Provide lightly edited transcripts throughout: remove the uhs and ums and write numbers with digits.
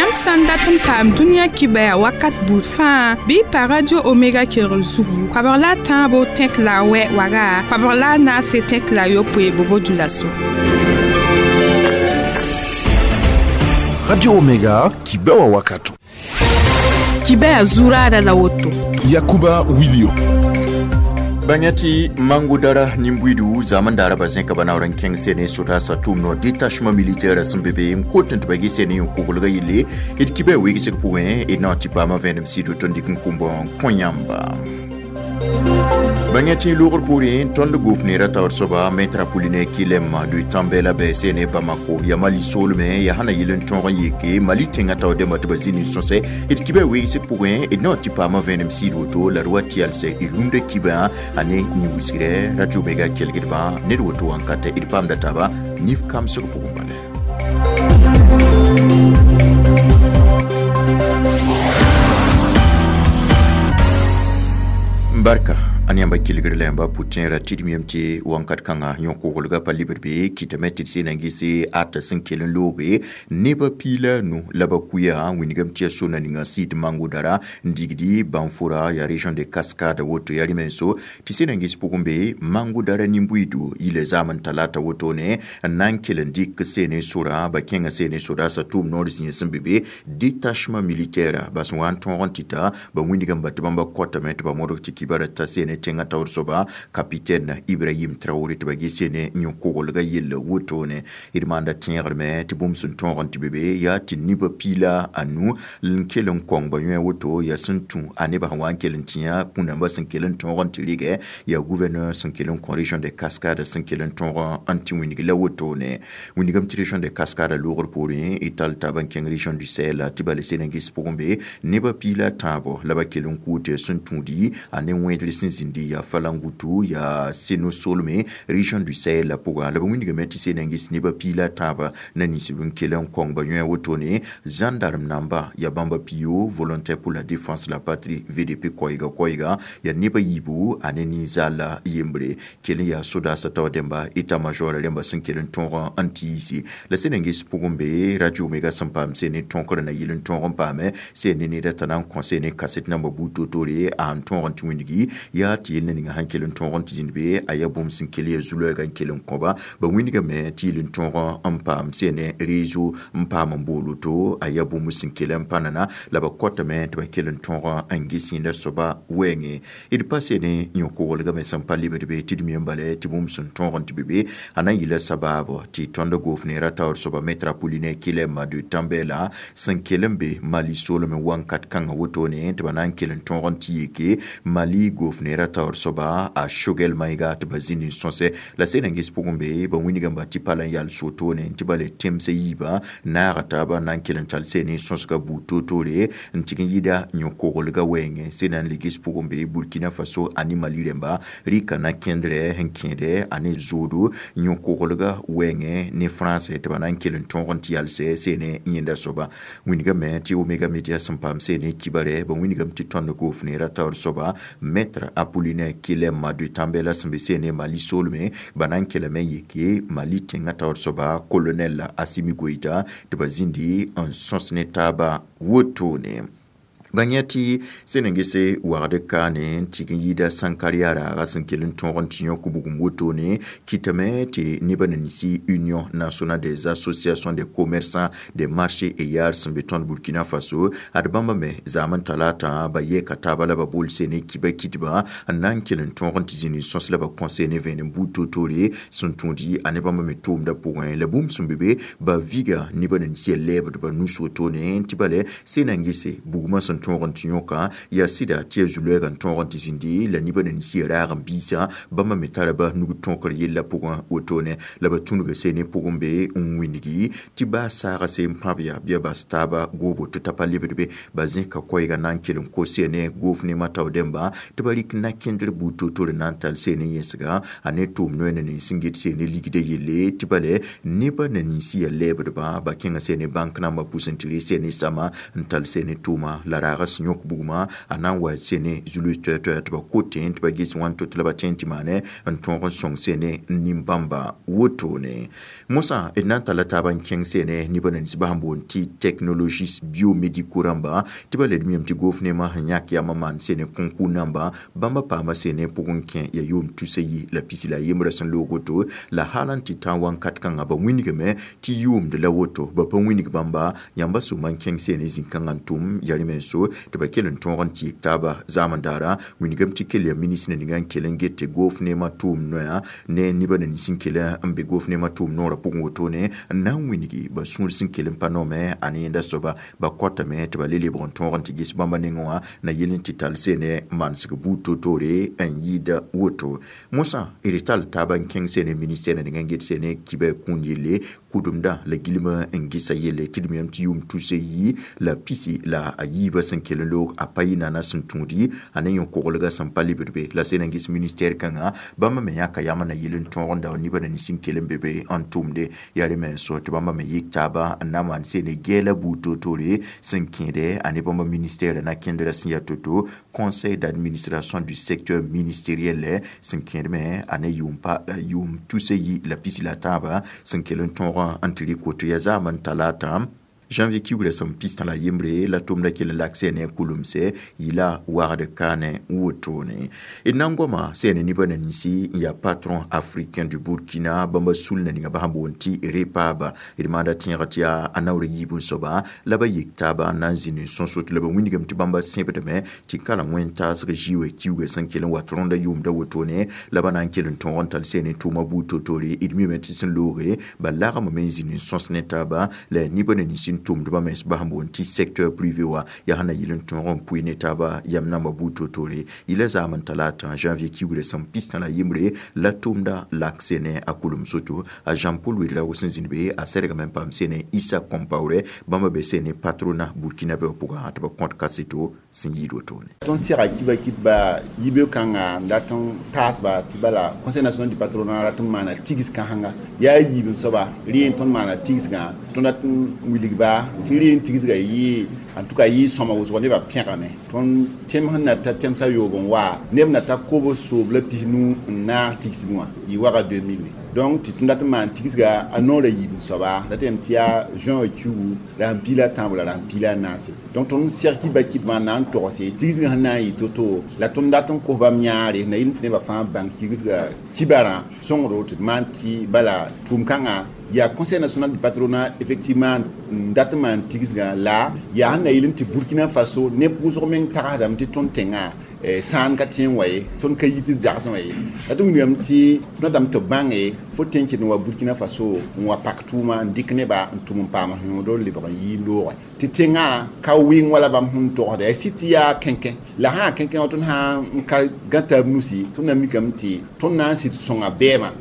Yãmb sã n dat n paam dũniyã kibaya wakat buud fãa bɩ y pa Radio Omega kelgr zugu koabg la a tãabo tẽk la a wɛ waga koabg la a naase tẽk la a yopoe bobo-dioulasso. Radio Omega kibewa wakato. Kibaya zurada la woto. Yakuba Wilio. Bãngã Mangudara nimbuidu zaman dara ba zẽka ba naoor n kẽng sene sodasa tʋʋm no détachement militaire sẽn be be n kot n tɩ ba ges ne n koglga yelle d kibã wegsg pʋgẽ d na n tɩ paama vẽenem sɩd tɩ n dɩk n kʋm kõ yãmba. Bãngã tɩ logr poorẽ tõnd gofneera taoor soaba maître Apollinaire Kilem de Tambela bɛ sene Bamako ya Mali solme ya hana yel n tõog n yeke Mali tẽngã taoor dẽmba tɩ ba zĩ nin-sõsɛ d kibã wegsg pʋgẽ d na n tɩ paama vẽenem sɩd woto la d wa tɩ yalsɛ d rũndã kibã a ne yĩn-wisgrɛ Radio Omega kelgdbã ned woto wãnkatɛ d paamda taaba nif kamsg pʋgẽ bala. Barka an yãmba kelgr la yãmba pʋ-tẽera tɩ d miyame tɩ wãnkat kãngã yõ-koglga pa libd be kɩtame tɩ d sẽn na n gese ata sẽn kell n looge nebã piila nu la ba kuya wĩnigame tɩ yaa sona ninga sɩd Mangodara n digdi Banfora yaa région de Cascade woto yaa rɩ-menso tɩ sẽn na n ges pʋgẽ be Mangodara nin-buiidu yila zaam n talata wotone n na n kell n dɩk seene sora ba kẽngã seene sodaasã tʋʋm noor zĩig sẽn be be détachement militaire ba sẽn wa n tõog n tɩ ta ba wĩnigame ba tɩ bãmba kɔtame tɩ ba modg tɩ kibara ta seene tẽngã taoor soaba capitaine Ibrahim Traoré tɩ ba ges ne yõ-koglga yell wotone d maanda tẽegrme tɩ bũmb sẽn tõog n tɩ be be yaa tɩ nebã piila a nu n kell n kõng ba yõe woto yaa sẽn tũ a nebã sẽn wa n kell n tĩ kũnambã sẽn kell n tõog n tɩ rɩgɛ yaa gouverneur sẽn kell n kõ région de Cascade sẽn kell n tõog n tɩ wĩnig la wotone wĩnigame tɩ région de Cascade loogr poorẽ d tall taab n kẽng région du Sahel tɩ bala sẽn n ges pʋgẽ be nebã piila tãabo la ba kell n kʋʋte sẽn tũudi a ne wẽedr sẽn zĩndi ya Falangutu ya Seno Solme région du Sahel la pʋga la ba wĩnigame tɩ sẽn n ges nebã piila tãaba na ninsb n kell n kõng ba yõe wotone gendarme namba ya bãmba pio volontaire pour la défense de la patrie VDP koɛɛga koɛɛga ya nebã yiibu a ne ninzaala yembre kell n yaa sodaasã taoor dẽmba état major rẽmba sẽn kell n tõog n tiisi la sẽn n ges pʋgẽ be Radio Omega sẽn paam sẽn ne tõkr na yel n tõog n paame sẽn ne neda t'a na n kõ sẽn ne kaset namba buud toor-toore a n tõog n tɩ wĩnigi yaa tɩ yel na ninga sẽn kell n tõog n tɩ zĩnd be a yaa bũmb sẽn kell yaa zu-loɛɛga n kell n kõba ba wĩnigame tɩ yel n tõog n paam sẽn ne réseau n paam n bool woto a yaa bũmb sẽn kell n pa nana la ba kɔtame tɩ ba kell n tõog n ges yẽnda soaba wɛɛngẽ d pa sẽn ne yõ-koglgame sẽn pa lebd be tɩ d mi n bala tɩ bũmb sẽn tõog n tɩ be be a na n yɩla sabaabo tɩ tõnd gofneera taoor soaba maître Apollinaire Kilem de Tambela sẽn kell n be Mali soolmẽ wãnkat kãngã wotone tɩ ba na n kell n tõog n tɩ yeke Mali gofneera taoor soaba a Choguel Maïga tɩ ba zĩnd n sõsɛ la sẽn n ges pʋgẽ be ba wĩnigame tɩ pa la n yal sotone tɩ ba le temsã yiibã naaga taaba na n kell n tall sẽn ne sõsga buud toor-toore n tɩg n yɩda yõ-koglga wɛɛngẽ sẽn na n le ges pʋgẽ be Burkina Faso ane Mali rẽmba rɩka na kẽndrɛ sẽn kẽede ane zoodo yõ-koglga wɛɛngẽ ne France tɩ ba na n kell n tõog n tɩ yalsɛ sẽn ne yẽnda soaba wĩnigame tɩ Omega Media sẽn paam sẽn ne kibarɛ ba wĩnigame tɩ tõnd gofneera taoor soaba maître Apollinaire Kilem de Tambela sẽn be sẽn ne Mali soolmẽ ba na n kellame yeke Mali tẽngã taoor soaba colonel Assimi Goïta tɩ ba zĩndi n sõs ne taaba wotone. Bãng tɩ sẽn n gese wagd kaane n tɩg n yɩɩda sãnkar-yaa raaga sẽn kell n tõog n tɩ yõk bugum wotone kɩtame tɩ nebã na ninsi Union nationale des associations des commerçants des marchés et yards sẽn be tõnd Burkina Faso ad bãmba me zaam n talata ba yɛɛka taaba la ba bool sene kiba kitba n na n kell n tõog n tɩ zĩnd n sõs la ba kõ sene vẽenem buud toor-toore sẽn tũud a ne bãmba me tʋʋmdã pʋgẽ la bũmb sẽn be be ba viga nebã na ninsi yaa lɛɛbdbã nus wotone tɩ bala sẽn na n gese bugmã sẽn tõog n tɩ yõka yaa sɩda tɩ yaa zu-loɛɛga n tõog n tɩ zĩndi la nebã na ninsi yaa raag n biisã bãmba me tara ba nug tõkr yella pʋgẽ wotone la ba tũnuga sene pʋgẽ be n wĩnigi tɩ baa saaga seen pãb yaa bɩa bas taaba goobo tɩ ta pa lebd be ba zẽka koɛɛga na n kell n kos sene goofnemã tao dẽmba tɩ ba rɩk na-kẽndr buud toor-toor na n tall sene yẽsga a ne tʋʋm noɛ na nins sẽn get sene ligdã yelle tɩ bala nebã na ninsi yaa lɛɛbdbã ba kẽngã sene bãnk nambã pʋs n tɩ rɩ sene sama n tall sene tʋʋma la raaga sẽn yõk bugmã a na n wa sene zulus toɛ-toɛ tɩ ba kote tɩ ba ges wãn to tɩ la ba tẽ tɩ maane n tõog n sõng sene nin-bãmba wotone. Mosã d na n talla taaba n kẽng sene nebã nins bas n boond tɩ technologiste biomédicaux rãmba tɩ ba led miyame tɩ gofnemã sẽn yãk yam n maan sene concours namba bãmba paama sene pʋgẽ kẽ ya yʋʋm tusa yi la pisi la yembrã sẽn loog woto la hal n tɩ tã wãnkat kãngã ba wĩnigame tɩ yʋʋmd la woto ba pa wĩnig bãmba yãmba sʋma n kẽng sene zĩ-kãngã n tʋm ya rẽ-menso tɩ ba kell n tõog n tɩ yik taaba zaamend daara wĩnigame tɩ kell ya ministre ninga n kell n get tɩ gofnemã tʋʋm noya ne nebã nins n kell n be gofnemã tʋʋm noorã pʋgẽ wotone n na n wĩnigi ba sũur sẽn kell n pa noome a ne yẽnda soaba ba kotame tɩ ba le lebg n tõog n tɩ ges bãmba nengẽ wã na yel n tɩ tall sene manesg buud toor-toore n yɩɩda woto. Mosã d tall taaba n kẽng sene ministɛɛr ninga n get sene kibɛ kũun yelle kʋdemdã la gilma n gesa yelle tɩ d miyame tɩ yʋʋm tusa yi la pisi la a yiibã sẽn kell n loog a pa yɩ nana sẽn tũudi a ne yõ-koglgã sẽn pa lebd be la sẽn n ges ministɛɛr kãngã bãmba me yãka yam na yel n tõog n dao nebã nins n kell n be be n tʋmde yaa rẽ menso tɩ bãmba me yik taaba n na maan sene gɛɛla buud toor-toore sẽn kẽede a ne bãmba ministɛɛrã na kẽndrã sẽn yaa to-to conseil d'administration du secteur ministériel sẽn kẽed me a ne yʋʋm tusa yi la pisi la tãaba sẽn kell n tõog n tɩ rɩk woto yaa zaam n talata janvier kiugrã sẽn pistã la yembre la tʋmda kell n lak sene kulemse yɩla wagd kaane wotone. D na n goama sene nebã na ninsi n yaa patron africain du Burkina bãmba sulna ninga bas n boond tɩ repaba d maanda tẽegã tɩ yaa a naoor yiib n soaba la ba yik taaba n na n zĩnd n sõsot la ba wĩnigame tɩ bãmba sẽbdame tɩ kala wẽn-taasg zɩɩ kiuga sẽn kell n wat rõnda yʋʋmda wotone la ba na n kell n tõog n tall sene tʋʋma buud toor-toore d mime tɩ sẽn looge ba lagmame n zĩnd n sõs ne taaba la nebã na nins n tʋmdbã mens bas n boond tɩ secteur privé wã yaa sẽn na yɩl n tõog n pʋɩ ne taaba yam nambã buud toor-toore yɩla zaam n talata janvier kiugrã sẽn pistã la yembre la tʋmda lak sene a kulem soto a Jean-Paul Ouedraogo sẽn zĩnd be a sɛrgame n paam sene Issa Compaoré bãmba be sene patronat burkinabè wã pʋgã tɩ ba kõt kaseto sẽn yɩɩd wotone. Tõnd sega kiba kɩtba yibe kãnga n dat n taasba tɩ bala conseil national du patronat rat n maana tigs kãsenga yaa yiib n soaba rẽ tõnd maana tigsgã tõnd dat n wilgba tɩ rẽ n tigsga yɩ en tout cas yɩ sõma wʋsg nebã pẽgame tõnd tẽm sẽn na ta tẽmsã yoob n wa neb na ta kob soob la pisnu n naag tigsg wã yɩ waga 2000. Donc tɩ tõnd dat n maan tigsga a noorã yiib n soaba la tɩ tɩ yaa juin kiugu la sẽn piila tãabo la sẽn piila a naase. Donc tõnd seg tɩ ba kɩtmã na n togse tigsgã sẽn na n yɩ to-to la tõnd dat n kos bãmb yãare na yɩl tɩ nebã fãa bãng tigsga kibarã sõngdo tɩ d maan tɩ bala tʋʋm kãngã yaa conseil national du patronat effectivement n dat n maan tigsgã la yaa sẽn na yɩl n tɩ Burkina Faso neb wʋsg meng tagsdame tɩ tõnd tẽngã sãan ka tẽ n wa ye tõnd ka yit d zagsẽ wã ye la tɩ wilgame tɩ tõnd datame tɩ bãnge fo tẽ n ket n wa Burkina Faso n wa pak tʋʋma n dɩk neba n tʋm n paam yõodr lebg n yɩ loogɛ tɩ tẽngã ka wɩng wala bãmb sẽn togsda yaa sɩd tɩ yaa kẽnkẽ la sã kẽnkẽ wã tõnd sã n ka gã taab nusi tõnd na mikame tɩ tõnd na n sɩd sõnga bɛɛmã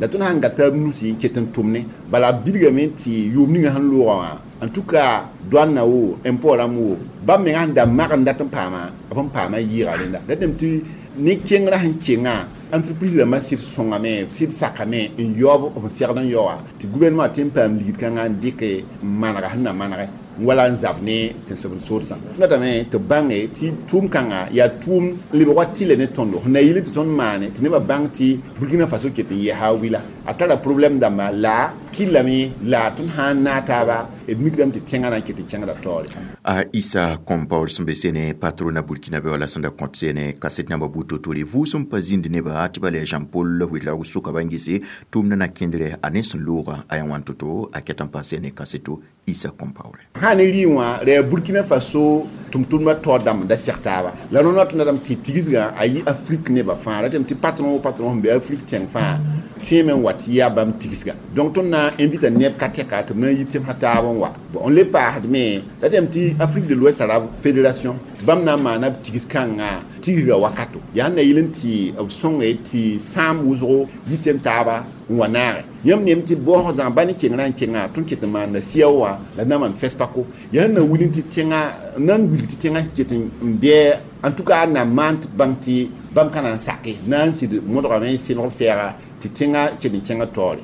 la tõnd sãn ga taab nusi n ket n tʋmne bala bilgame tɩ yʋʋm ninga sẽn loogã wã en tout cas douane na wo impôt rãmb wo bãmb menga sẽn da mag n dat n paama b n paama yɩɩga rẽnda la tɩ tɩ ne kengrã sẽn kenga entreprise rãmbã sɩd sõngame sɩd sakame n yaoob b segd n yaoa tɩ gouvernement tɩ n paam ligd kãngã n dɩke n manega sẽn na manege wala n zab ne tẽn-soab-n-soodsã datame tɩ bãnge tɩ tʋʋm kãnga yaa tʋʋm lebg wa tɩlɛ ne tõndo sẽn na yɩl tɩ tõnd maane tɩ nebã bãng tɩ Burkina Faso ket n yɛsa wila a tara problème dãmba la kɩllame la tõnd sã n naag taaba d mikdame tɩ tẽngã na n ket n kẽngda taoore. A Issa Compaoré sẽn be sene patronat burkinabè wã la sẽn da kõt sene kaset namba buud toor-toore vʋʋsem pa zĩnd neba tɩ bala yaa Jean-Paul Ouedraogo sʋka ba n gese tʋʋmdã na kẽndrɛ a ne sẽn loogã a yaa wãn to-to a ket n pa sene kaseto Issa Compaoré. Sã ne rɩ wã ra yaa Burkina Faso tʋm-tʋmdbã taoor dãmb da seg taaba la rõnd wa tõnd datame tɩ tigsgã a yɩ Afrique nebã fãa ratame tɩ patron o patron sẽn be Afrique tẽng fãa tõeme n wa tɩ yaa bãmb tigsga. Donc tõnd na n invita neb ka tɛka tɩ b na n yi tẽmsã taab n wa. Bon n le paasdme ratame tɩ Afrique de l'Ouest Arabe Fédération bãmb na n maana b tigs kãngã tigsga wakato yaa sẽn na yɩl n tɩ b sõnge tɩ sãam wʋsgo yi tẽn taaba n wa naage yãmb neem tɩ baoosg zãg ba ne kengrã n kenga tõnd ket n maanda sɩa wã la na maan FESPACO yaa sẽn na wil n tɩ tẽngã nan wilg tɩ tẽngã ket n bɩ en tout cas na maan tɩ bãng tɩ bãmb ka na n sake na n sɩd modgame n sẽneg b sɛɛga tɩ tẽngã ket n kẽngã taoore.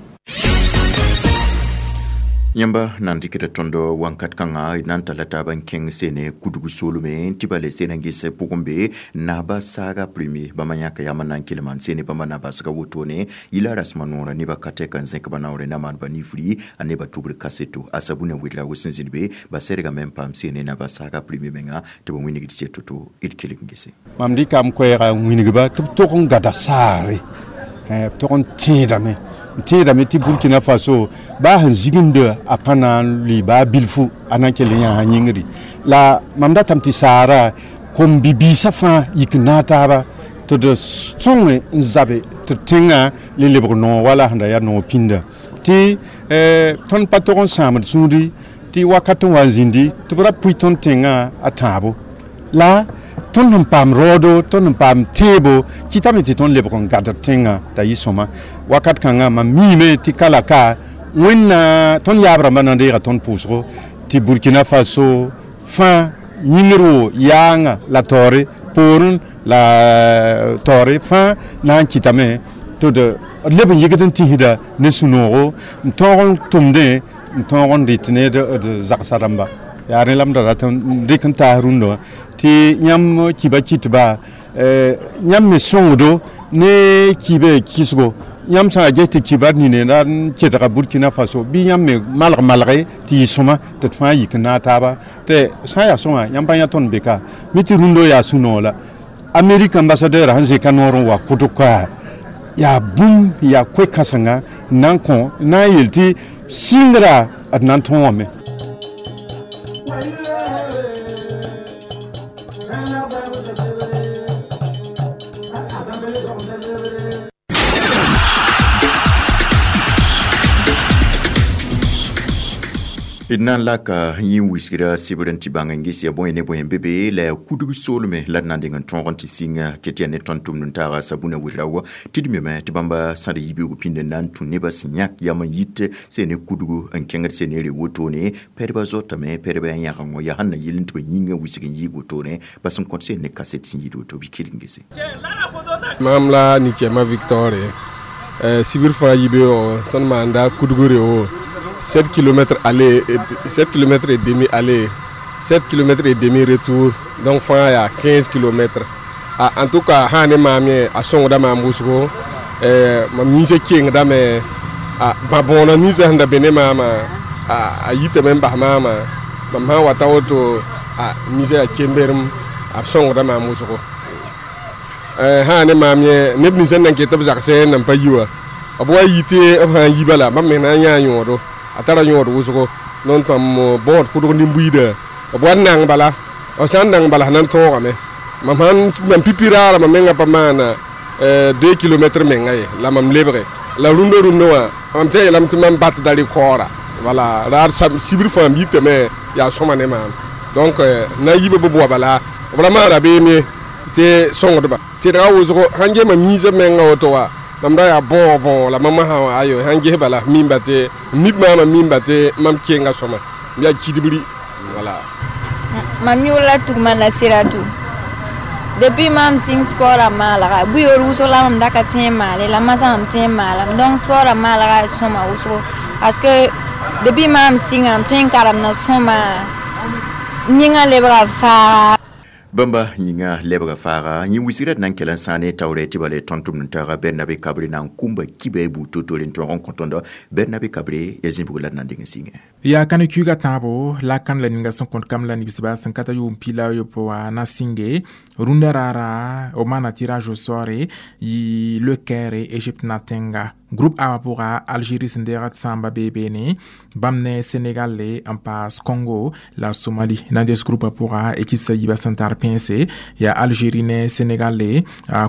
Yãmba nan dɩkda tõnd wãnkat kãngã d na n talla taab n kẽng sene kudg soolme tɩ ba le sena n ges pʋgẽ be naaba saaga premier bãmba yãka yam n na n kelma n sene bãmba na basga wotone yila rasmã noorã nebã ka tɛka n zẽk ba naoore na maan ba nifri a nebã tʋbr kaseto a sabuna wedraago sẽn zĩnd be ba sɛdgame n paam sene naaba saaga premier menga tɩ ba wĩnigd sɛ to-to d kelg n gese. Mam dɩkam koɛɛga n wĩnigba tɩ b tog n gada saare b tog n tẽedame n tẽedame tɩ Burkina Faso baa sẽn zigimdã a pa na n lʋɩ baa bilfu a na n kell n yãasa yĩngri la mam datame tɩ saara kom-bibiisã fãa yik n naag taaba tɩ d sõnge n zabe tɩ d tẽngã le lebg noog wala sẽn da yaa noog pĩndã tɩ tõnd pa tog n sãamd sũuri tɩ wakat n wa n zĩndi tɩ b ra pʋɩ tõnd tẽngã a tãabo la tõnd sẽn paam raoodo tõnd sẽn paam tẽebo kɩtame tɩ tõnd lebg n gad d tẽngã t'a yɩ sõma wakat kãngã mam miime tɩ ka la ka wẽnna tõnd yaab rãmbã na n deega tõnd pʋʋsgo tɩ Burkina Faso fãa yĩngr wo yaanga la taoore poorẽ la taoore fãa na n kɩtame tɩ d leb n yɩgd n tĩsda ne sũ-noogo n tõog n tʋmdẽ n tõog n rɩt ne d zagsa rãmba yaa rẽ la m da rat n rɩk n taas rũndã wã tɩ yãmb kiba kɩtba yãmb me sõngdo ne kiibã kɩsgo yãmb sã n ges tɩ kibar nine la n kedga Burkina Faso bɩ yãmb me malg malge tɩ yɩ sõma tɩ d fãa yik n naag taaba tɩ sã n yaa sõma yãmb pa yã tõnd be ka mi tɩ rũndã yaa sũ-noog la Amérique ambassadeur sẽn zẽka noor n wa kʋtg koa yaa bũmb yaa koe-kãsenga n na n kõ n na n yel tɩ sɩngra d na n tõogame. D na n laka yẽ wisgra sɩbr n tɩ bãng n ges ya bõe ne bõe n be be la yaa kudg soolme la d na n deng n tõog n tɩ sɩng ket yaa ne tõnd tʋmd n taaga sabuna wedraogo tɩ d meme tɩ bãmba sãd yibeoog pĩnd n na n tũ nebã sẽn yãk yam n yit sẽn ne kudgu n kẽngd sẽn ne re wotone pɛdbã zoatame pɛdbã yaa yãgengo yaa sẽn na yɩl n tɩ ba yĩngã wisg n yɩɩg wotone ba sẽn kõt sẽn ne kaset sẽn yɩɩd woto bɩ kelg n gese. Mam la Nichema Victor sibir fãa yibeoogo tõnd maanda kudgre wo 7 km aller, 7 km et demi aller, 7 km et demi retour, donc fãa yaa 15 km. Ah, en tout cas, sã ne maam yẽ a sõngda maam wʋsgo mam yĩnsã kengdame bã-bõonã ninsã sẽn da be ne maamã a yitame n bas maamã mam sã n wa ta woto ninsã yaa kemberem a sõngda maam wʋsgo sã ne maam yẽ neb ninsã n nan ket b zagsẽ n nan pa yi wã b wa yi tɩ b sã n yi bala mam meng na n yãa yõodo a tara yõod wʋsgo non tõm bõod kʋdg nin-buiida b wa n nang bala b sã n nang bala sẽn na n tõogame mam sãn mam pipi raara mam mengã pa maana 2 km menga ye la mam lebge la rũndã rũndã wã mam tɩ yeelame tɩ mam batda rekoora wala raar sibr fãa m yitame yaa sõma ne maam donc na n yiba b bʋa bala b ra maan rabeem ye tɩ sõngdba tɩdga wʋsgo sãn ges mam yĩnsã menga woto wa mam ra yaa bõog bõog la mam sã wã ayo sãn ges bala mimba tɩ mib maamã mimba tɩ mam kenga sõma m yaa kidbri wala. Mam yʋʋr la Tugma Nasiratu. Depuis mam sĩng sport a maalga buyoor wʋsg la mam da ka tẽ n maale la masã mam tẽ n maalame donc sport a maalga yaa sõma wʋsgo parce que depuis mam sɩnga m tõe n karemda sõma yĩngã lebga faaga. Bãmba yĩnga lebga faaga yẽ wisgra d na n kell n sãane taoorɛ tɩ bala tõnd tʋmd n taaga Bernabe Kabre na n kũmba kiba y buud to-tore n tõog n kõ tõndo Bernabe Kabre yaa zĩbg la d na n deng n sɩngẽ. Yaa kane kuiga tãabo la kan la ninga sẽn kõt kam la nibsba sẽn ka ta yʋʋm pila yopoe wã na sɩnge rũndã raara b maana tirage au sort yɩ Le Caire Égypte na tẽnga groupe A wã pʋga Algérie sẽn deegd sãamba bee beene bãmb ne Sénégal n paas Congo la Somalie na n des groupe pʋga équipe sa yiibã sẽn tar pẽnse yaa Algérie ne Sénégal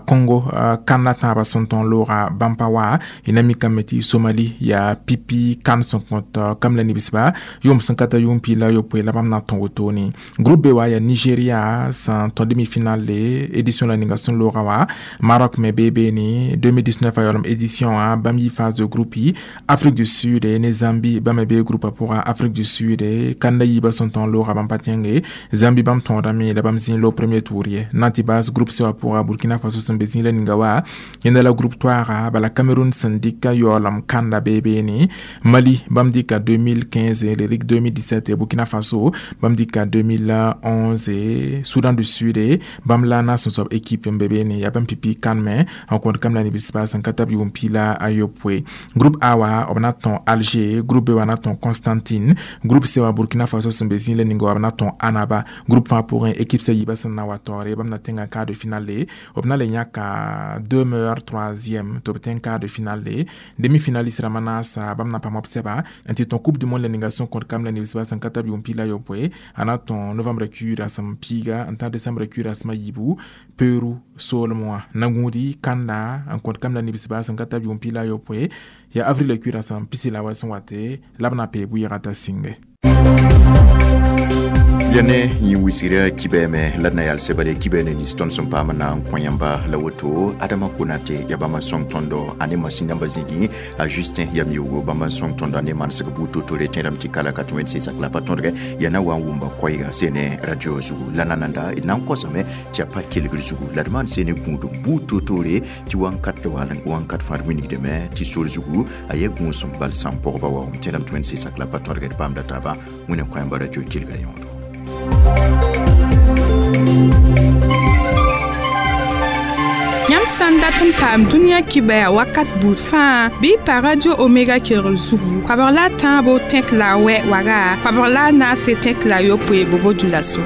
Congo kan la tãabã sẽn tõn looga bãmb pa wa y na mikame tɩ Somalie yaa pipi kan sẽn kõt kam la nibsba yʋʋm sẽn ka ta yʋʋm piig la yopoe la bãmb na n tõ wotone groupe B wã yaa Nigeria sẽn tõ demi-finale édition la ninga sẽn looga wã Maroc me bee beene 2019 a yaoolem édition wã Bãmb yi phase de groupe yi Afrique du Sud ne Zambie. Bãmb me bee groupa pʋga. Afrique du Sud kanda yiibã sẽn tõog looga bãmb pa tẽnge. Zambie bãmb tõodame la bãmb zĩ loog premier tour ye. Na tɩ baas groupe C wã pʋga, Burkina Faso sẽn be zĩ la ninga wa yẽnda la groupe toaaga. Bala Cameroun sẽn dɩka yaoolem kanda bee beene. Mali bãmb dɩka 2015, le rik 2017. Burkina Faso bãmb dɩka 2011. Soudan du Sud bãmb la na sẽn soab équipe n be beene, yaa bãmb pipi kãneme n kõt kam la nebisba sẽn ka tab yʋʋm 18. Groupe A wã, b na tõe Alger. Groupe B wã na tõe Constantine. Groupe C wã, Burkina Faso sẽn be zĩ la ninga wã, b na tõe Annaba. Groupe fãa pʋgẽ, équipe sã yiibã sẽn na wa taoore, bãmb na tẽnga quart de finale. B na le yãka deux meilleurs troisième tɩ b tẽng quart de finale. Demi-finaliste rãmbã naasa, bãmb na paam b sɛba n tɩ tõe Coupe du monde la ninga sẽn kõt kam la nebisba sẽn ka tab yʋʋm 18, a na tõe novembre kuiirã rasem piiga n ta décembre kuiirã rasem a yiibu, Peru soolem wã. Na gũudi kanda n kõt kam la nebisba sẽn ka tab yʋʋm 18, yaa avril kuiirã rasem pisi la wa sẽn wate la b na pee bʋɩɩga t'a sĩnge. Ya ne yẽ wisgra kibɛɛmɛ la d na yal sebare kibɛ ne nins tõnd sẽn paam na n kõ yãmba la woto. Adama Konate ya bãmb n sõng tõndo a ne masin dãmbã zĩigẽ, a Justin yam yoogo bãmb n sõng tõndo a ne manesg buud totore. Tẽedame tɩ kala ka tɩ wẽnd sɩsak la pa tõdgɛ ya na wa n wʋmba koɛɛga sene radio zugu. La nananda d na n kosame tɩ ya pa kelgr zugu la d maan sene gũudum buud totore tɩ wãnkat la wãnkat fãa d wilgdame tɩ sor zugu a ya gũusem bal sãn pɔgba waoom. Tẽedame tɩ wẽnd sɩsak la pa tõdgɛ d paamda taaba. Wẽna kõ yãmba radio kelgrã yõodo. Yãmb sã n dat n paam dũniyã kibɛa wakat buud fãa, bɩ y pa Radio Omega kelgr zugu koabg la a tãabo tẽk la a wɛ waga, koabg la a naase tẽk la a yopoe bobo dulaso.